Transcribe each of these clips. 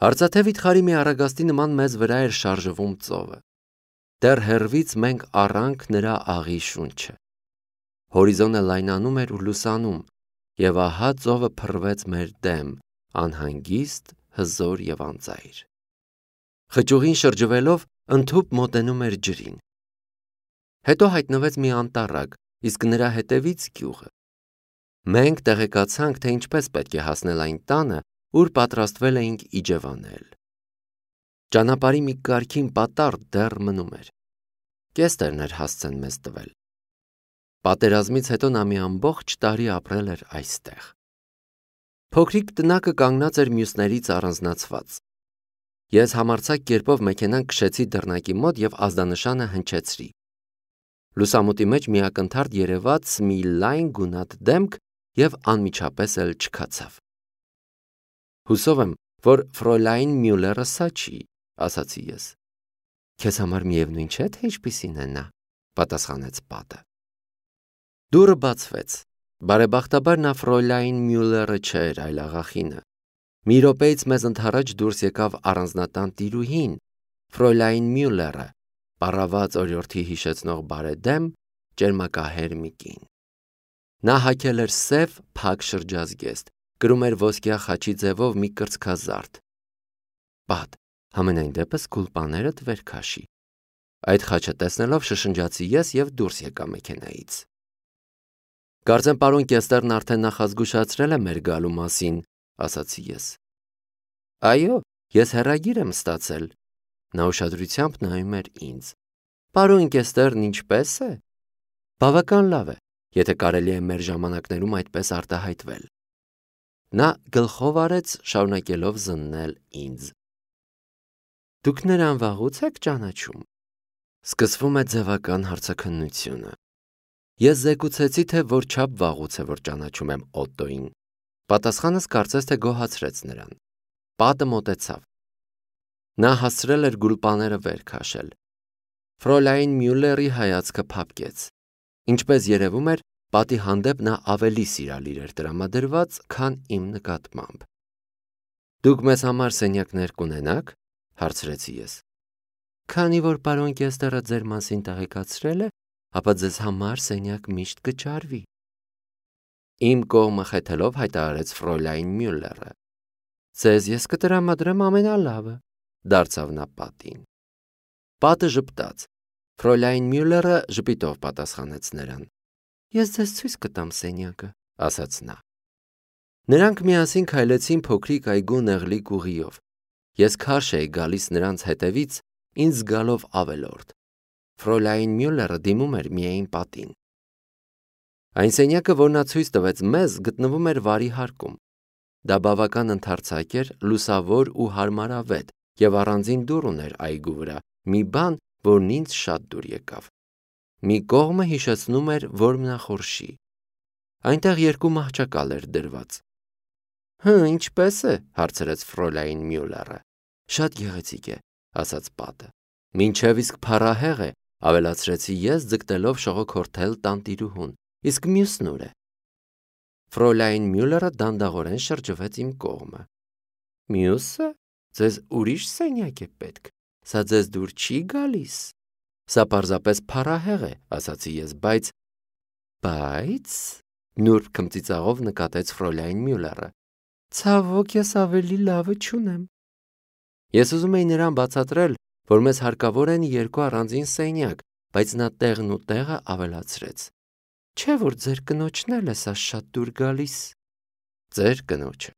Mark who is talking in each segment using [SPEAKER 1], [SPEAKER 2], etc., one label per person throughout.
[SPEAKER 1] Արծաթևի թխարի մի առագաստի նման մեզ վրա էր շարժվում ծովը։ Դեռ հեռվից մենք առանք նրա աղի շունչը։ Հորիզոնը լայնանում էր ու լուսանում, եւ ահա ծովը փռվեց մեր դեմ, անհանգիստ, հզոր եւ անծայր։ Խճուղին շրջվելով ընդհուպ մոտենում էր ջրին։ Հետո հայտնվեց մի անտառակ, իսկ նրա հետևից գյուղը։ Մենք տեղեկացանք, թե ինչպես պետք է հասնել այն տանը, ուր պատրաստվել էինք իջևանել։ Ճանապարհի մի կարգին պատառ դեռ մնում էր։ Կեստրն էր հասցեն մեզ տվել։ Պատերազմից հետո նա մի ամբողջ տարի ապրել էր այստեղ։ Փոքրիկ տնակը կանգնած էր մյուսներից առանձնացված։ Ես համարձակ կերպով մեքենան քշեցի դռնակի մոտ եւ ազդանշանը հնչեցրի։ Լուսամուտի մեջ մի ակնթարթ երևաց մի լայն գունատ դեմք եւ անմիջապես էլ չքացավ։ Հուսով եմ, որ Ֆրոյլայն Մյուլերը սա չի, ասացի ես։ Քեզ համար միևնույն չէ, թե ինչպիսին է նա, պատասխանեց պատը։ Դուռը բացվեց։ Բարեբախտաբար նա Ֆրոյլայն Մյուլերը չէր, այլ աղախինը։ Մի րոպեից մեզ ընդառաջ դուրս եկավ առանձնատան տիրուհին, Ֆրոյլայն Մյուլերը, պառաված օրիորդի հիշեցնող բարեդեմ, ճերմակահեր մի կին։ Նա հագել էր սև փակ շրջազգեստ, կրում էր ոսկյա խաչի ձևով մի կրծքազարդ։ Պատ, համենայն դեպս գուլպաներդ վեր քաշի։ Այդ խաչը տեսնելով շշնջացի ես եւ դուրս եկա մեքենայից։ Կարծեմ պարոն Կեստրն արդեն նախազգուշացրել է մեր գալու մասին, ասացի ես։ Այո, ես հեռագիր եմ ստացել։ Նա ուշադրությամբ նայում էր ինձ։ Պարոն Կեստրն ինչպե՞ս է։ Բավական լավ է, եթե կարելի է մեր ժամանակներում այդպես արտահայտվել։ Նա գլխով արեց, շարունակելով զննել ինձ։ Դուք նրան վաղուց եք ճանաչում։ Սկսվում է ձևական հարցաքննությունը։ Ես զեկուցեցի, թե որչափ վաղուց է, որ ճանաչում եմ Օտտոին։ Պատասխանս կարծես թե գոհացրեց նրան։ Պատը մոտեցավ։ Նա հասցրել էր գուլպաները վեր քաշել։ Ֆրոյլայն Մյուլերի հայացքը փափկեց։ Ինչպես երևում էր, պատի հանդեպ նա ավելի սիրալիր էր տրամադրված, քան իմ նկատմամբ։ Դուք մեզ համար սենյակներ կունենաք, հարցրեցի ես։ Քանի որ պարոն Կեստրը ձեր մասին տեղեկացրել է, ապա ձեզ համար սենյակ միշտ կճարվի։ Իմ կողմը խեթելով հայտարարեց Ֆրոյլայն Մյուլերը։ Ձեզ ես կտրամադրեմ ամենալավը, դարձավ նա պատին։ Պատը ժպտաց։ Ֆրոյլայն Մյուլերը ժպիտով պատասխանեց նրան։ Ես ձեզ ցույց կտամ սենյակը, ասաց նա։ Նրանք միասին քայլեցին փոքրիկ այգու նեղլիկ ուղիով։ Ես քարշ էի գալիս նրանց հետևից, ինձ զգալով ավելորդ։ Ֆրոյլայն Մյուլերը դիմում էր միայն պատին։ Այն սենյակը, որ նա ցույց տվեց մեզ, գտնվում էր վարի հարկում։ Դա բավական ընդարձակ էր, լուսավոր ու հարմարավետ, եւ առանձին դուռ ուներ այգու վրա, մի բան, որն ինձ շատ դուր եկավ։ Մի կողմը հիշեցնում էր որմնախորշի։ Այնտեղ երկու մահճակալ էր դրված։ Ինչպես է, հարցրեց Ֆրոյլայն Մյուլերը։ Շատ գեղեցիկ է, ասաց պատը։ Մինչև իսկ փառահեղ է, ավելացրեցի ես, ձգտելով շողոքորթել տանտիրուհուն, իսկ մյուսն ուր է։ Ֆրոյլայն Մյուլերը դանդաղորեն շրջվեց իմ կողմը։ Մյուսը, ձեզ ուրիշ սենյակ է պետք, սա ձեզ դուր չի գալիս։ Սա պարզապես փառահեղ է, ասացի ես, բայց նուրբ քմծիծաղով նկատեց Ֆրոյլայն Մյուլերը։ Ցավոք ես ավելի լավը չունեմ։ Ես ուզում էի նրան բացատրել, որ մեզ հարկավոր են երկու առանձին սենյակ, բայց նա տեղն ու տեղը ավելացրեց։ Չէ՞ որ ձեր կնոջն էլ է սա շատ դուր գալիս։ Ձեր կնոջը։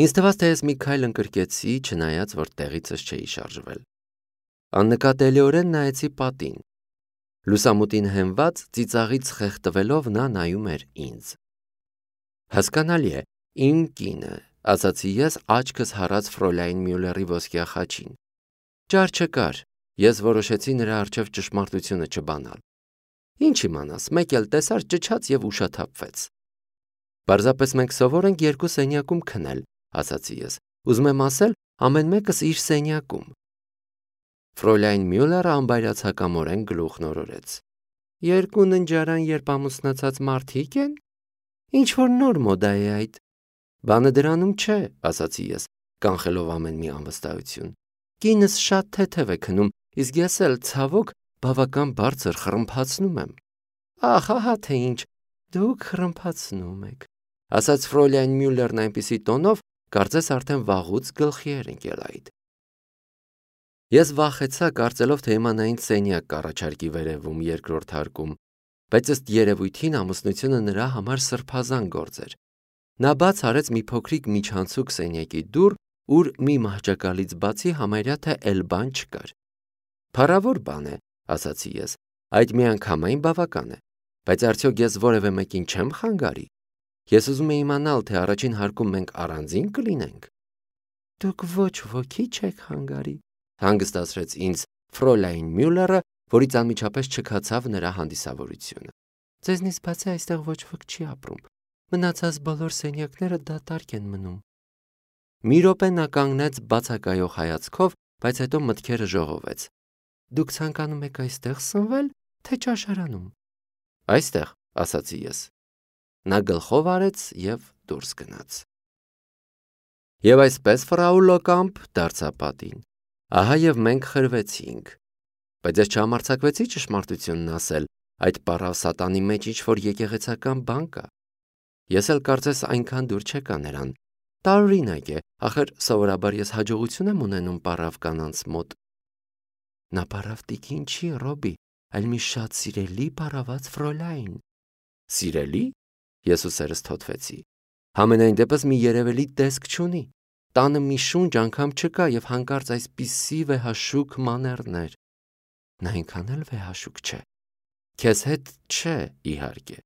[SPEAKER 1] Ինձ թվաց, թե ես մի քայլ ընկրկեցի, չնայած որ տեղիցս չէի շարժվել։ Աննկատելիորեն նայեցի պատին։ Լուսամուտին հենված, ծիծաղից խեղդվելով նա նայում էր ինձ։ Հասկանալի է, իմ կինը, ասացի ես, աչքս հառած Ֆրոյլայն Մյուլերի ոսկյա խաչին։ Ճար չկար, ես որոշեցի նրա առջև ճշմարտությունը չբանալ։ Ինչ իմանաս, մեկ էլ տեսար ճչաց եւ ուշաթափվեց։ Պարզապես մենք սովոր ենք երկու սենյակում քնել, ասացի ես։ Ուզում եմ ասել, ամեն մեկս իր սենյակում։ Ֆրոյլայն Մյուլերը անբայրացակամորեն գլուխն օրորեց։ Երկու ննջարան, երբ ամուսնացած մարդիկ են։ Ինչ որ նոր մոդա է այդ։ Բանը դրանում չէ, ասացի ես։ կանխելով ամեն մի անվստահություն։ Կինս շատ թեթև է քնում, իսկ ես էլ ցավոք բավական բարձր խռմփացնում եմ։ Ահա թե ինչ, դուք խռմփացնում եք, ասաց Ֆրոյլայն Մյուլլերն այնպիսի տոնով, կարծես արդեն վաղուց գլխի էր ընկել այդ։ Ես վախեցա, կարծելով, թե իմանային սենյակ կառաջարկի վերևում երկրորդ հարկում, բայց ըստ երևույթին ամուսնությունը նրա համար սրբազան գործ էր։ Նա բաց արեց մի փոքրիկ միջանցիկ սենյակի դուռ, ուր մի մահճակալից բացի համարյա թե էլ բան չկար։ Փառավոր բան է, ասացի ես, այդ միանգամայն բավական է, բայց արդյոք ես որևէ մեկին չեմ խանգարի։ Ես ուզում եմ իմանալ, թե առաջին հարկում մենք առանձին կլինենք։ Դուք ոչ ոքի չեք խանգարի, հանգստացրեց ինձ Ֆրոյլայն Մյուլլերը, որից անմիջապես չքացավ նրա հանդիսավորությունը։ Ձեզնից բացի այստեղ ոչ ոք չի ապրում։ Մնացած բոլոր սենյակները դատարկ են մնում։ Մի րոպե նա կանգնեց բացակայող հայացքով, բայց հետո մտքերը ժողովեց։ Դուք ցանկանում եք այստեղ սնվել, թե ճաշարանում։ Այստեղ, ասացի ես։ Նա գլխով արեց և դուրս գնաց։ Եվ այսպես ֆրաու Լոկամպ դարձա պատին։ Ահա և մենք խրվեցինք։ Բայց ես չհամարձակվեցի ճշմարտությունն ասել, այդ պառավ սատանի մեջ ինչ-որ եկեղեցական բան կա։ Ես էլ կարծես այնքան դուր չեկա նրան։ Տարօրինակ է, ախր սովորաբար ես հաջողություն եմ ունենում պառավ կանանց մոտ։ Նա պառավ տիկին չի, Ռոբի, այլ մի շատ սիրելի պառաված Ֆրոյլայն։ Սիրելի։ Ես ուսերս թոթվեցի։ Համենայն դեպս մի երևելի տեսք չունի։ Տանը մի շունչ անգամ չկա և հանկարծ այսպիսի վեհաշուք մանեռներ։ Նա այնքան էլ վեհաշուք չէ։ Քեզ հետ չէ, իհարկե։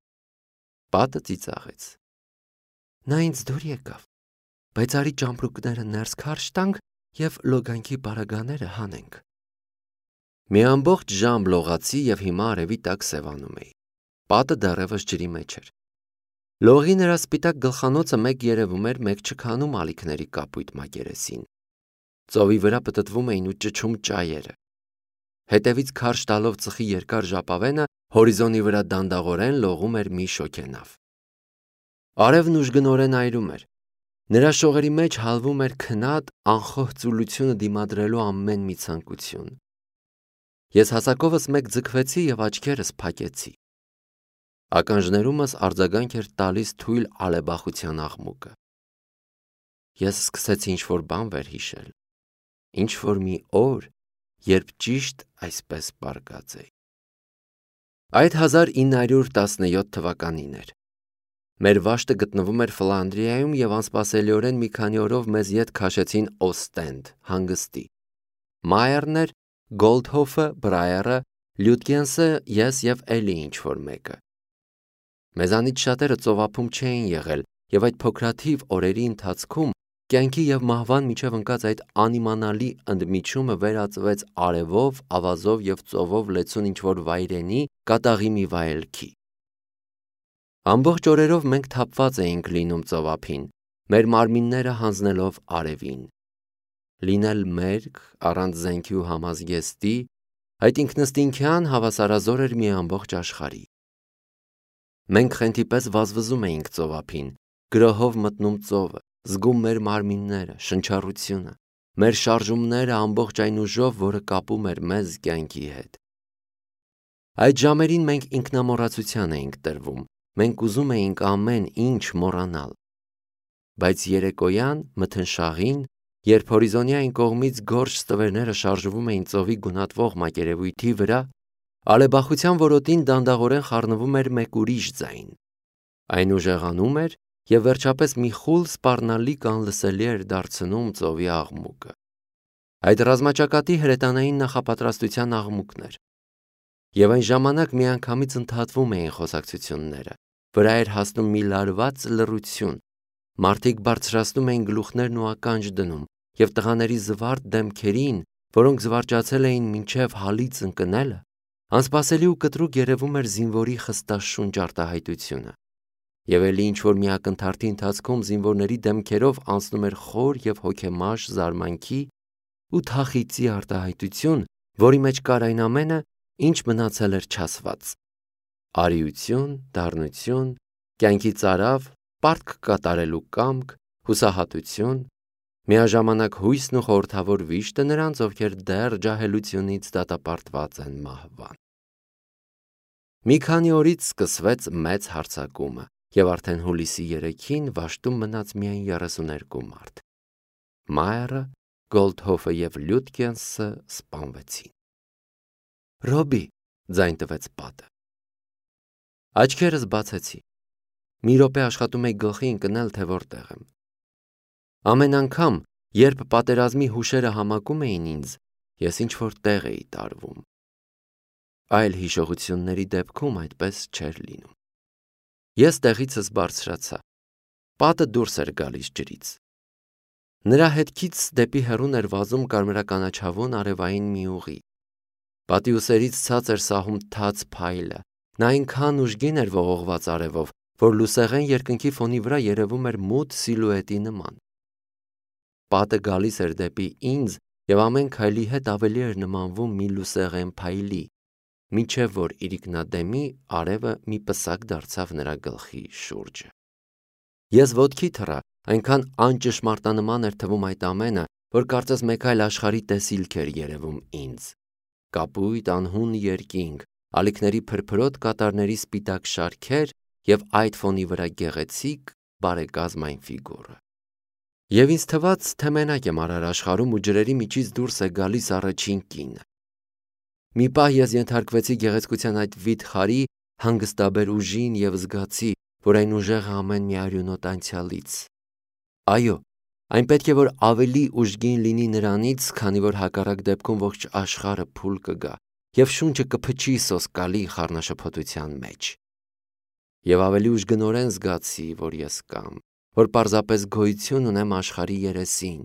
[SPEAKER 1] Պատը ծիծաղեց։ Նա ինձ դուր եկավ, բայց արի ճամպրուկները ներս քարշ տանք և լոգանքի պարագաները հանենք։ Մի ամբողջ ժամ լողացի և հիմա արևի տակ սևանում էի։ Պատը դեռևս ջրի մեջ էր։ Լողի նրա սպիտակ գլխանոցը մեկ երևում էր, մեկ չքանում ալիքների կապույտ մակերեսին։ Ծովի վրա պտտվում էին ու ճչում ճայերը։ Հետևից քարշ տալով ծխի երկար ժապավենը հորիզոնի վրա դանդաղորեն լողում էր մի շոգենավ։ Արևն ուժգնորեն այրում էր։ Նրա շողերի մեջ հալվում էր քնած, անխոհ ծուլությունը դիմադրելու ամեն մի ցանկություն։ Ես հասակովս մեկ ձգվեցի և աչքերս փակեցի։ Ականջներումս արձագանք էր տալիս թույլ ալեբախության աղմուկը։ Ես սկսեցի ինչ-որ բան վերհիշել։ Ինչ-որ մի օր, երբ ճիշտ այսպես պառկած էի։ Այդ 1917 թվականին էր։ Մեր վաշտը գտնվում էր Ֆլանդրիայում և անսպասելիորեն մի քանի օրով մեզ ետ քաշեցին Օստենդ, հանգստի։ Մայերն էր, Գոլդհոֆը, Բրայերը, Լյուտգենսը, ես և էլի ինչ-որ մեկը։ Մեզանից շատերը ծովափում չէին եղել, և այդ փոքրաթիվ օրերի ընթացքում կյանքի և մահվան միջև ընկած այդ անիմանալի ընդմիջումը վերածվեց արևով, ավազով և ծովով լեցուն ինչ-որ վայրենի, կատաղի մի վայելքի։ Ամբողջ օրերով մենք թափված էինք լինում ծովափին, մեր մարմինները հանձնելով արևին։ Լինել մերկ, առանց զենքի ու համազգեստի, այդ ինքնըստինքյան հավասարազոր էր մի ամբողջ աշխարհի։ Մենք խենթի պես վազվզում էինք ծովափին, գրոհով մտնում ծովը, զգում մեր մարմինները, շնչառությունը, մեր շարժումները ամբողջ այն ուժով, որը կապում էր մեզ կյանքի հետ։ Այդ ժամերին մենք ինքնամոռացության էինք տրվում, մենք ուզում էինք ամեն ինչ մոռանալ։ Բայց երեկոյան, մթնշաղին, երբ հորիզոնի այն կողմից գորշ ստվերները շարժվում էին ծովի գունատվող մակերևույթի վրա, ալեբախության որոտին դանդաղորեն խառնվում էր մեկ ուրիշ ձայն։ Այն ուժեղանում էր և վերջապես մի խուլ սպառնալիք անլսելի էր դարձնում ծովի աղմուկը։ Այդ ռազմաճակատի հրետանային նախապատրաստության աղմուկն էր։ Եվ այն ժամանակ միանգամից ընդհատվում էին խոսակցությունները, վրա էր հասնում մի լարված լռություն, մարդիկ բարձրացնում էին գլուխներն ու ականջ դնում, և տղաների զվարթ դեմքերին, որոնք զվարճացել էին մինչև հալից ընկնելը, անսպասելի ու կտրուկ երևում էր զինվորի խստաշունչ արտահայտությունը։ Եվ էլի ինչ-որ մի ակնթարթի ընթացքում զինվորների դեմքերով անցնում էր խոր և հոգեմաշ զարմանքի ու թախիծի արտահայտություն, որի մեջ կար այն ամենը, ինչ մնացել էր չասված։ Արիություն, դառնություն, կյանքի ծարավ, պարտք կատարելու կամք, հուսահատություն, Միաժամանակ հույսն ու խորհրդավոր վիշտը նրանց, ովքեր դեռ ջահելությունից դատապարտված են մահվան։ Մի քանի օրից սկսվեց մեծ հարձակումը, և արդեն հուլիսի 3-ին վաշտում մնաց միայն 32 մարդ։ Մայերը, Գոլդհոֆը և Լյուտկենսը սպանվեցին։ Ռոբի, ձայն տվեց պատը։ Աչքերս բացեցի։ Մի րոպե աշխատում էի գլխի ընկնել, թե որտեղ եմ։ Ամեն անգամ, երբ պատերազմի հուշերը համակում էին ինձ, ես ինչ-որ տեղ էի տարվում։ Այլ հիշողությունների դեպքում այդպես չէր լինում։ Ես տեղիցս բարձրացա։ Պատը դուրս էր գալիս ջրից։ Նրա հետքից դեպի հեռուն էր վազում կարմրականաչավուն արևային մի ուղի։ Պատի ուսերից ցած էր սահում թաց փայլը։ Նա այնքան ուժգին էր ողողված արևով, որ լուսեղեն երկնքի ֆոնի վրա երևում էր մութ սիլուետի նման։ Պատը գալիս էր դեպի ինձ և ամեն քայլի հետ ավելի էր նմանվում մի լուսեղեն փայլի, մինչև որ իրիկնադեմի արևը մի պսակ դարձավ նրա գլխի շուրջը։ Ես ոտքի թռա, այնքան անճշմարտանման էր թվում այդ ամենը, որ կարծես մեկ այլ աշխարհի տեսիլք էր երևում ինձ։ Կապույտ անհուն երկինք, ալիքների փրփրոտ կատարների սպիտակ շարքեր և այդ ֆոնի վրա գեղեցիկ բարեկազմ այն ֆիգուրը։ Եվ ինձ թվաց, թե մենակ եմ արար աշխարհում ու ջրերի միջից դուրս է գալիս առաջին կինը։ Մի պահ ես ենթարկվեցի գեղեցկության այդ վիթխարի հանգստաբեր ուժին և զգացի, որ այն ուժեղը ամեն մի արյունոտ անցյալից։ Այո, այն պետք է որ ավելի ուժգին լինի նրանից, քանի որ հակառակ դեպքում ողջ աշխարհը փուլ կգա և շունչը կփչի սոսկալի խառնաշփոթության մեջ։ Եվ ավելի ուժգնորեն զգացի, որ ես կամ, որ պարզապես գոյություն ունեմ աշխարհի երեսին,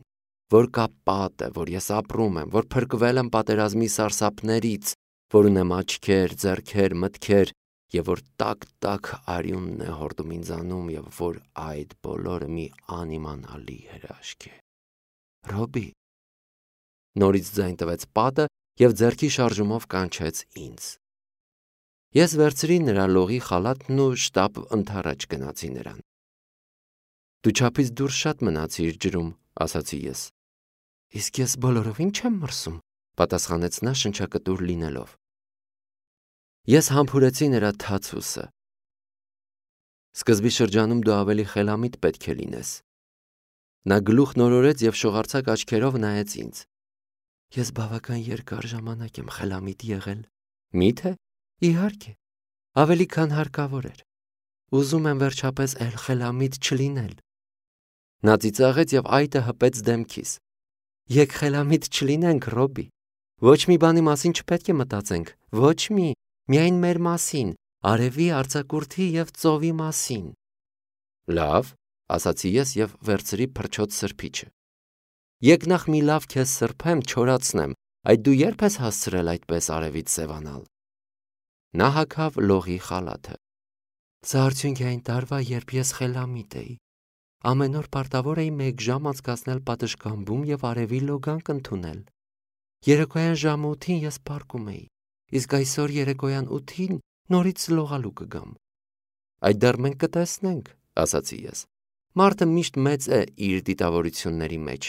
[SPEAKER 1] որ կա պատը, որ ես ապրում եմ, որ փրկվել եմ պատերազմի սարսափներից, որ ունեմ աչքեր, ձեռքեր, մտքեր, և որ տաք արյունն է հորդում ինձանում, և որ այդ բոլորը մի անիմանալի հրաշք է։ Ռոբի։ Նորից ձայն տվեց պատը և ձեռքի շարժումով կանչեց ինձ։ Ես վերցրի նրա լողի խալաթն ու շտապ ընդառաջ գնացի նրան։ Դու չափից դուրս շատ մնացիր ջրում, ասացի ես։ Իսկ ես բոլորովին չեմ մրսում, պատասխանեց նա շնչակտուր լինելով։ Ես համբուրեցի նրա թաց ուսը։ Սկզբի շրջանում դու ավելի խելամիտ պետք է լինես։ Նա գլուխն օրորեց և շողարցակ աչքերով նայեց ինձ։ Ես բավական երկար ժամանակ եմ խելամիտ եղել։ Մի՞թե։ Իհարկե, ավելի քան հարկավոր էր։ Ուզում եմ վերջապես էլ խելամիտ չլինել։ Նա ծիծաղեց և այտը հպեց դեմքիս։ Եկ խելամիտ չլինենք, Ռոբի։ Ոչ մի բանի մասին չպետք է մտածենք, ոչ մի, միայն մեր մասին, արևի, արձակուրդի և ծովի մասին։ Լավ, ասացի ես և վերցրի փրչոտ սրբիչը։ Եկ նախ մի լավ քեզ սրբեմ, չորացնեմ, այդ դու երբ ես հասցրել այդպես արևից սևանալ։ Նա հագավ լողի խալաթը։ Սա արդյունք է այն տարվա, երբ ես խելամիտ էի։ Ամեն օր պարտավոր էի 1 ժամ անցկացնել պատշգամբում և արևի լոգանք ընդունել։ Երեկոյան ժամը 8-ին ես պառկում էի, իսկ այսօր երեկոյան 8-ին նորից լողալու կգամ։ Այդ դեռ մենք կտեսնենք, ասացի ես։ Մարդը միշտ մեծ է իր դիտավորությունների մեջ,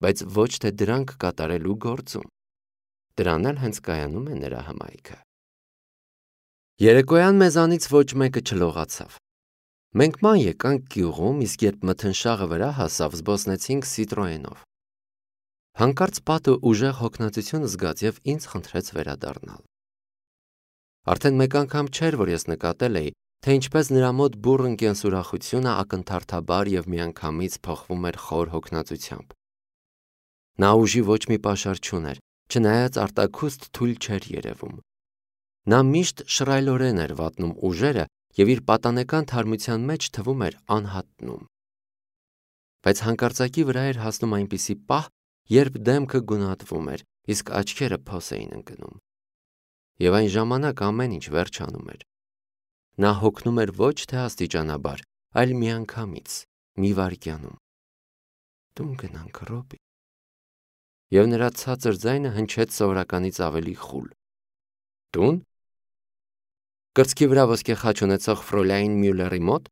[SPEAKER 1] բայց ոչ թե դրանք կատարելու գործում։ Դրան էլ հենց կայանում է նրա հմայքը։ Երեկոյան մեզանից ոչ մեկը չլողացավ։ Մենք ման եկանք գյուղում, իսկ երբ մթնշաղը վրա հասավ, զբոսնեցինք Սիտրոենով։ Հանկարծ պատը ուժեղ հոգնածություն զգաց և ինձ խնդրեց վերադառնալ։ Արդեն մեկ անգամ չէր, որ ես նկատել էի, թե ինչպես նրա մոտ բուռն կենսուրախությունը ակնթարթաբար և միանգամից փոխվում էր խոր հոգնածությամբ։ Նա ուժի ոչ մի պաշար չուներ, չնայած արտաքուստ թույլ չէր երևում։ Նա միշտ շռայլորեն էր վատնում ուժերը և իր պատանեկան թարմության մեջ թվում էր անհատնում։ Բայց հանկարծակի վրա էր հասնում այնպիսի պահ, երբ դեմքը գունատվում էր, իսկ աչքերը փոս էին ընկնում։ Եվ այն ժամանակ ամեն ինչ վերջանում էր։ Նա հոգնում էր ոչ թե աստիճանաբար, այլ միանգամից, մի վայրկյանում։ Տուն գնանք, Ռոբի։ Եվ նրա ցածր ձայնը հնչեց սովորականից ավելի խուլ։ Տուն։ Կրծքի վրա ոսկե խաչ ունեցող Ֆրոլային Մյուլլերի մոտ։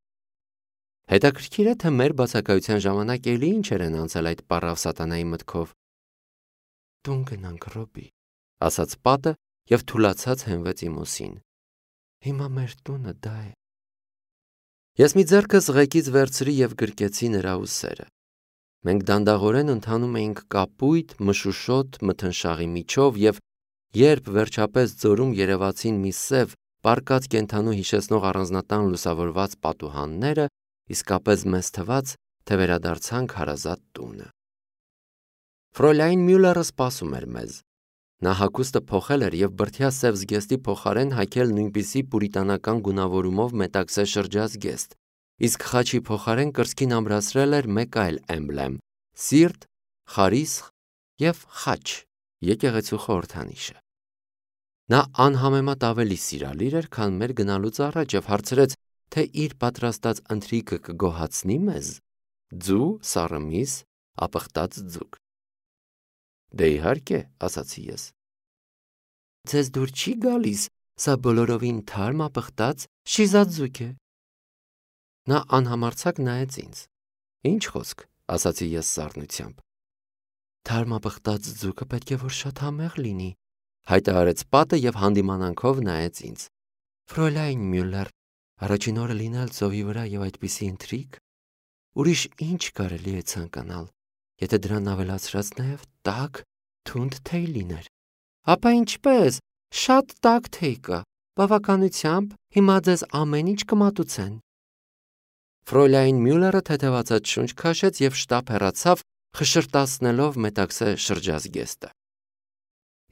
[SPEAKER 1] Հետաքրքիր է, թե մեր բացակայության ժամանակ էլի ինչեր են անցել այդ պառավ սատանայի մտքով։ Տուն գնանք, Ռոբի, ասաց պատը և թուլացած հենվեց իմ ուսին։ Հիմա մեր տունը դա է։ Ես մի ձեռքս ղեկից վերցրի և գրկեցի նրա ուսերը։ Մենք դանդաղորեն ընթանում էինք կապույտ, մշուշոտ մթնշաղի միջով և երբ վերջապես ձորում երևացին մի սև, պառկած կենդանու հիշեցնող առանձնատան լուսավորված պատուհանները, իսկապես մեզ թվաց, թե վերադարձանք հարազատ տունը։ Ֆրոյլայն Մյուլլերը սպասում էր մեզ։ Նա հագուստը փոխել էր և բրդյա սև զգեստի փոխարեն հագել նույնպիսի պուրիտանական գունավորումով մետաքսե շրջած զգեստ, իսկ խաչի փոխարեն կրծքին ամրացրել էր մեկ այլ էմբլեմ՝ սիրտ, խարիսխ և խաչ, եկեղեցու խորհրդանիշը։ Նա անհամեմատ ավելի սիրալիր էր, քան մեր գնալուց առաջ և հարցրեց, թե իր պատրաստած ընթրիքը կգոհացնի մեզ։ Ձու, սառը միս, ապխտած ձուկ։ Դե իհարկե, ասացի ես։ Ձեզ դուր չի գալիս, սա բոլորովին թարմ ապխտած շիզած ձուկ է։ Նա անհամարձակ նայեց ինձ։ Ինչ խոսք, ասացի ես սառնությամբ։ Թարմ ապխտած ձուկը պետք է որ շատ համեղ լինի, հայտարարեց պատը և հանդիմանանքով նայեց ինձ։ Ֆրոյլայն Մյուլլեր, առաջին օրը լինել ծովի վրա և այդպիսի ընթրիք, ուրիշ ինչ կարելի է ցանկանալ, եթե դրան ավելացրած նաև տաք, թունդ թեյ լիներ։ Ապա ինչպես, շատ տաք թեյ կա, բավականությամբ, հիմա ձեզ ամեն ինչ կմատուցեն։ Ֆրոյլայն Մյուլլերը թեթևացած շունչ քաշեց և շտապ հեռացավ, խշշրտացնելով մետաքսե շրջազգեստը։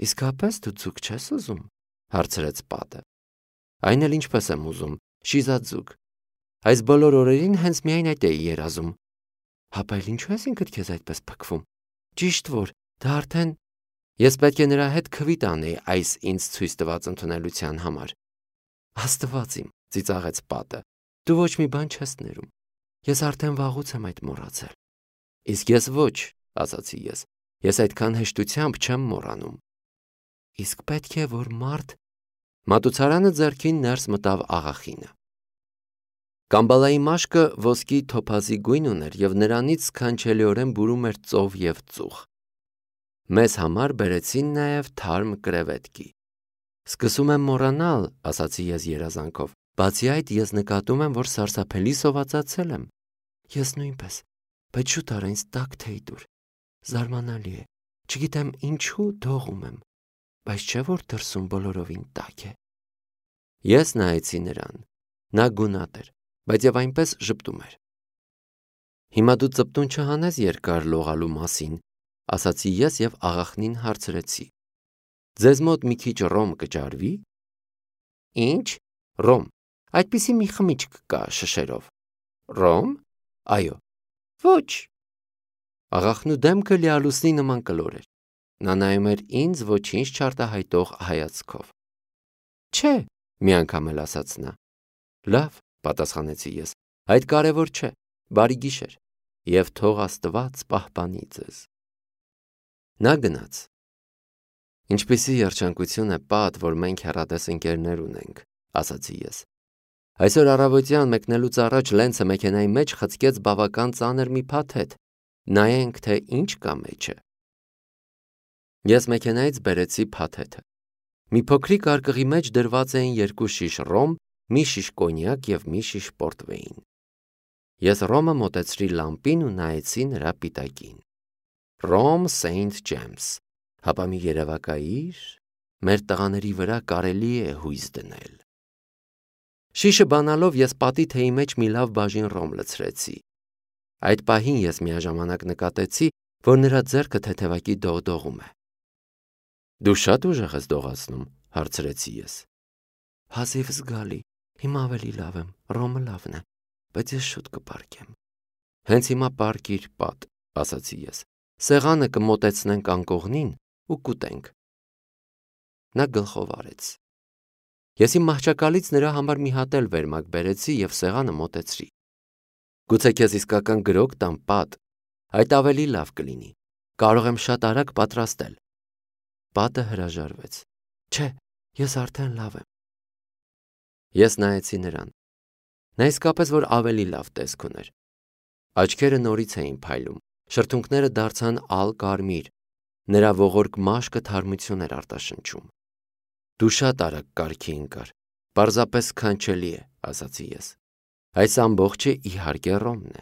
[SPEAKER 1] Իսկապես դու ձուկ չես ուզում, հարցրեց պատը։ Այն էլ ինչպես եմ ուզում, շիզած ձուկ։ Այս բոլոր օրերին հենց միայն այդ էի երազում։ Հապա էլ ինչու ես ինքդ քեզ այդպես փքվում։ Ճիշտ որ, դա արդեն ես պետք է նրա հետ քվի տանեի այս ինձ ցույց տված ընդունելության համար։ Աստված իմ, ծիծաղեց պատը, դու ոչ մի բան չես ներում։ Ես արդեն վաղուց եմ այդ մոռացել։ Իսկ ես ոչ, ասացի ես։ Ես այդքան հեշտությամբ չեմ մոռանում։ Իսկ պետք է որ մարդ Մատուցարանը ձեռքին ներս մտավ աղախինը։ Կամբալայի մաշկը ոսկի թոփազի գույն ուներ և նրանից սքանչելիորեն բուրում էր ծով և ծուխ։ Մեզ համար բերեցին նաև թարմ կրևետկի։ Սկսում եմ մոռանալ, ասացի ես երազանքով, բացի այդ ես նկատում եմ, որ սարսափելի սովածացել եմ։ Ես նույնպես, բայց շուտ արա ինձ տաք թեյ տուր։ Զարմանալի է, չգիտեմ ինչու դողում եմ, բայց չէ որ դրսում բոլորովին տաք է։ Ես նայեցի նրան։ Նա գունատ էր, բայց և այնպես ժպտում էր։ Հիմա դու ծպտուն չհանես երկար լողալու մասին, ասացի ես և աղախնին հարցրեցի։ Ձեզ մոտ մի քիչ ռոմ կճարվի։ Ինչ։ Ռոմ։ Այդպիսի մի խմիչք կա շշերով։ Ռոմ։ Այո։ Ոչ։ Աղախնու դեմքը լիալուսնի նման կլոր էր։ Նա նայում էր ինձ ոչինչ չարտահայտող հայացքով։ Չէ, մի անգամ էլ ասաց նա։ Լավ, պատասխանեցի ես, այդ կարևոր չէ, բարի գիշեր, և թող Աստված պահպանի ձեզ։ Նա գնաց։ Ինչպիսի երջանկություն է պատ, որ մենք հեռատես ընկերներ ունենք, ասացի ես։ Այսօր առավոտյան մեկնելուց առաջ Լենցը մեքենայի մեջ խցկեց բավական ծանր մի փաթեթ։ Նայենք, թե ինչ կա մեջը։ Ես մեքենայից բերեցի փաթեթը։ Մի փոքրիկ արկղի մեջ դրված էին 2 շիշ ռոմ, մի շիշ կոնյակ և մի շիշ պորտվեին։ Ես ռոմը մոտեցրի լամպին ու նայեցի նրա պիտակին։ Ռոմ Սեյնթ Ջեյմս, հապա մի երևակայիր, մեր տղաների վրա կարելի է հույս դնել։ Շիշը բանալով ես պատի թեյի մեջ մի լավ բաժին ռոմ լցրեցի։ Այդ պահին ես միաժամանակ նկատեցի, որ նրա ձեռքը թեթևակի դողդողում է։ Դու շատ ուժեղ ես դողացնում, հարցրեցի ես։ Հազիվ զգալի, հիմա ավելի լավ եմ, ռոմը լավն է, բայց ես շուտ կպարկեմ։ Հենց հիմա պարկիր պատ, ասացի ես։ Սեղանը կմոտեցնենք անկողնին ու կուտենք։ Նա գլխով արեց։ Ես իմ մահճակալից նրա համար մի հատ էլ վերմակ բերեցի և սեղանը մոտեցրի։ Գուցե քեզ իսկական գրոկ տամ պատ, այդ ավելի լավ կլինի։ Կարող եմ շատ արագ պատրաստել։ Պատը հրաժարվեց։ Չէ, ես արդեն լավ եմ։ Ես նայեցի նրան։ Նա իսկապես որ ավելի լավ տեսք ուներ։ Աչքերը նորից էին փայլում, շրթունքները դարձան ալ կարմիր, նրա ողորկ մաշկը թարմություն էր արտաշնչում։ Դու շատ արագ կարգի ընկար, պարզապես սքանչելի է, ասացի ես։ Այս ամբողջը իհարկե Ռոմն է։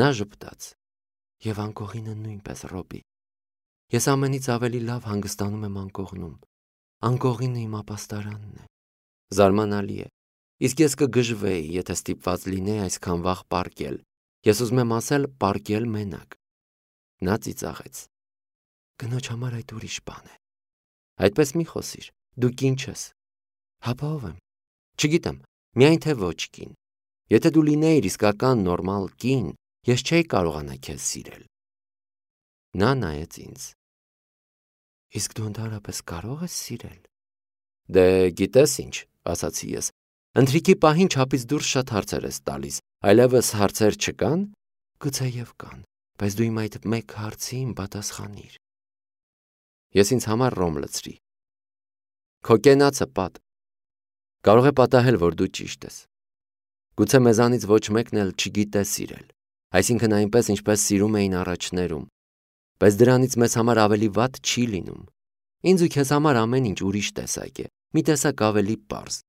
[SPEAKER 1] Նա ժպտաց։ Եվ անկողինը նույնպես, Ռոբի։ Ես ամենից ավելի լավ հանգստանում եմ անկողնում։ Անկողինը իմ ապաստարանն է։ Զարմանալի է։ Իսկ ես կգժվեի, եթե ստիպված լինեի այսքան վաղ պառկել։ Ես ուզում եմ ասել պառկել մենակ։ Նա ծիծաղեց։ Կնոջ համար այդ ուրիշ բան է։ Այդպես մի խոսիր, դու կին չես։ Հապա ով եմ։ Չգիտեմ, միայն թե ոչ կին։ Եթե դու լինեիր իսկական նորմալ կին, ես չէի կարողանա քեզ սիրել։ Նա նայեց ինձ։ Իսկ դու ընդհանրապես կարող ես սիրել։ Դե գիտես ինչ, ասացի ես։ Ընթրիքի պահին չափից դուրս շատ հարցեր ես տալիս, այլևս հարցեր չկան։ Գուցեև կան, բայց դու իմ այդ մեկ հարցին պատասխանիր։ Ես ինձ համար ռոմ լցրի։ Քո կենացը պատ։ Կարող է պատահել, որ դու ճիշտ ես։ Գուցե մեզանից ոչ մեկն էլ չգիտե սիրել, այսինքն այնպես, ինչպես սիրում էին առաջներում, բայց դրանից մեզ համար ավելի վատ չի լինում։ Ինձ ու քեզ համար ամեն ինչ ուրիշ տեսակ է, մի տեսակ ավելի պարզ։